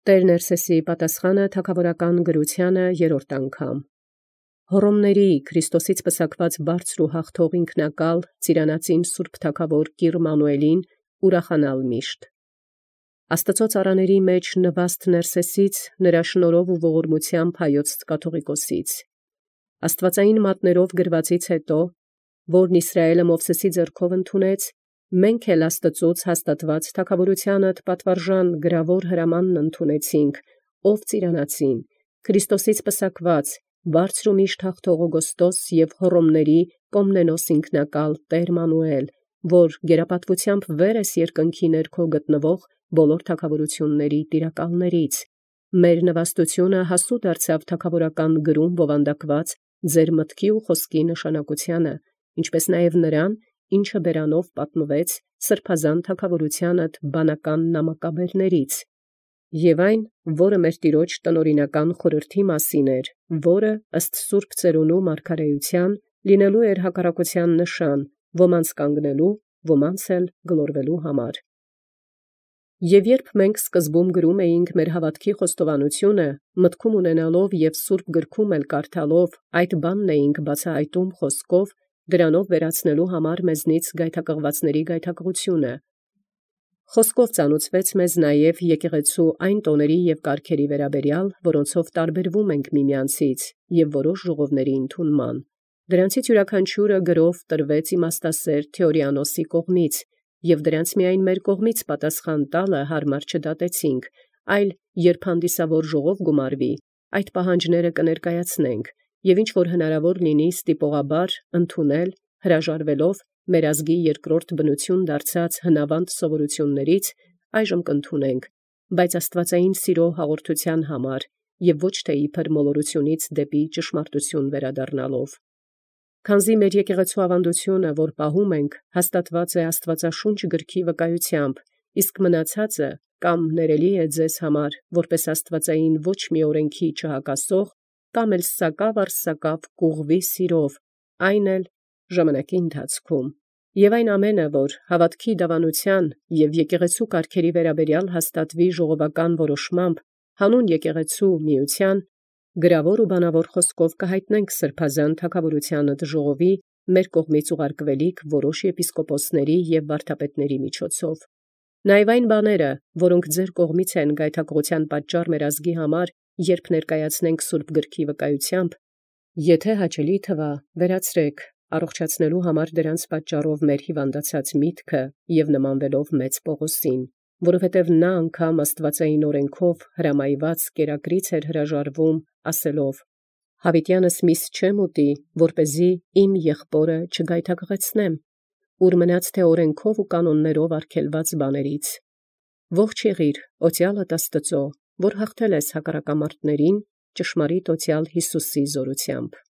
Տեր Ներսեսի պատասխանը թագաւորական գրութեանը երրորդ անգամ։ Հոռոմների Քրիստոսից պսակված բարձր ու հաղթող ինքնակալ ծիրանացին Սուրբ Թագաւոր Կիր Մանուելին ուրախանալ միշտ։ Աստծո ծառաների մեջ նվաստ Ներսեսից նրա շնորհով ու ողորմությամբ հայոց կաթողիկոսից։ Աստվածային մատներով գրվածից հետո, որն Իսրայէլը Մովսեսի ձեռքով ընդունեց, մենք էլ Աստծոց հաստատված թագաւորությանդ պատվարժան գրավոր հրամանն ընդունեցինք, ով ծիրանացին, Քրիստոսից պսակված, բարձր ու միշտ հաղթող Օգոստոս և հոռոմների Կոմնենոս ինքնակալ Տեր Մանուել, որ գերապատվությամբ վեր ես երկնքի ներքո գտնվող բոլոր թագաւորությունների տիրակալներից, մեր նվաստությունը հասու դարձավ թագաւորական գրում բովանդակված ձեր մտքի ու խոսքի նշանակությանը, ինչպես նաև նրան, ինչը բերանով պատմվեց սրբազան թագաւորությանդ բանական նամակաբերներից, և այն, որը մեր Տիրոջ տնօրինական խորհրդի մասին էր, որը ըստ սուրբ ծերունու մարգարեության լինելու էր հակառակության նշան, ոմանց կանգնելու, ոմանց էլ գլորվելու համար։ Եւ երբ մենք սկզբում գրում էինք մեր հավատքի խոստովանությունը, մտքում ունենալով եւ սուրբ գրքում էլ կարդալով, այդ բանն էինք բացահայտում խոսքով, դրանով վերացնելու համար մեզնից գայթակղվածների գայթակղությունը։ Խոսքով ծանուցվեց մեզ նաև եկեղեցու այն տոների և կարգերի վերաբերյալ, որոնցով տարբերվում ենք միմյանցից և որոշ ժողովների ընդունման։ Դրանցից յուրաքանչյուրը գրով տրվեց իմաստասեր Թեորիանոսի կողմից, և դրանց միայն մեր կողմից պատասխան տալը հարմար չդատեցինք, այլ երբ հանդիսավոր ժողով գումարվի, այդ պահանջները կներկայացնենք, և ինչ որ հնարավոր լինի ստիպողաբար ընդունել, հրաժարվելով մեր ազգի երկրորդ բնություն դարձած հնավանդ սովորություններից, այժմ կընդունենք, բայց աստվածային սիրո հաղորդության համար և ոչ թե իբր մոլորությունից դեպի ճշմարտություն վերադառնալով։ Քանզի մեր եկեղեցու ավանդությունը, որ պահում ենք, հաստատված է Աստվածաշունչ գրքի վկայությամբ, իսկ մնացածը կամ ներելի է ձեզ համար, որպես աստվածային ոչ մի օրենքի չհակասող, կամ էլ սակավ առ սակավ կուղղվի սիրով, այն էլ ժամանակի ընթացքում։ Եւ այն ամենը, որ հավատքի դավանության եւ եկեղեցու կարգերի վերաբերյալ հաստատվի ժողովական որոշմամբ, հանուն եկեղեցու միության, գրավոր ու բանավոր խոսքով կհայտնենք սրբազան թագաւորությանդ ժողովի մեր կողմից ուղարկվելիք որոշ եպիսկոպոսների եւ վարդապետների միջոցով։ Նաեւ այն բաները, որոնք ձեր կողմից են գայթակղության պատճառ մեր ազգի համար, երբ ներկայացնենք սուրբ գրքի վկայությամբ, եթե հաճելի թվա, վերացրեք, առողջացնելու համար դրանց պատճառով մեր հիվանդացած միտքը եւ նմանվելով մեծ Պողոսին, որովհետև նա անգամ աստվածային օրենքով հրամայված կերակրից էր հրաժարվում, ասելով. «Հավիտյանս միս չեմ ուտի, որպեսզի իմ եղբորը չգայթակղեցնեմ, ուր մնաց թե օրենքով ու կանոններով արգելված բաներից։ Ողջ եղիր, օծյալդ Աստծո, որ հաղթել ես հակառակամարտներին, ճշմարիտ օծյալ Յիսուսի զորությամբ»։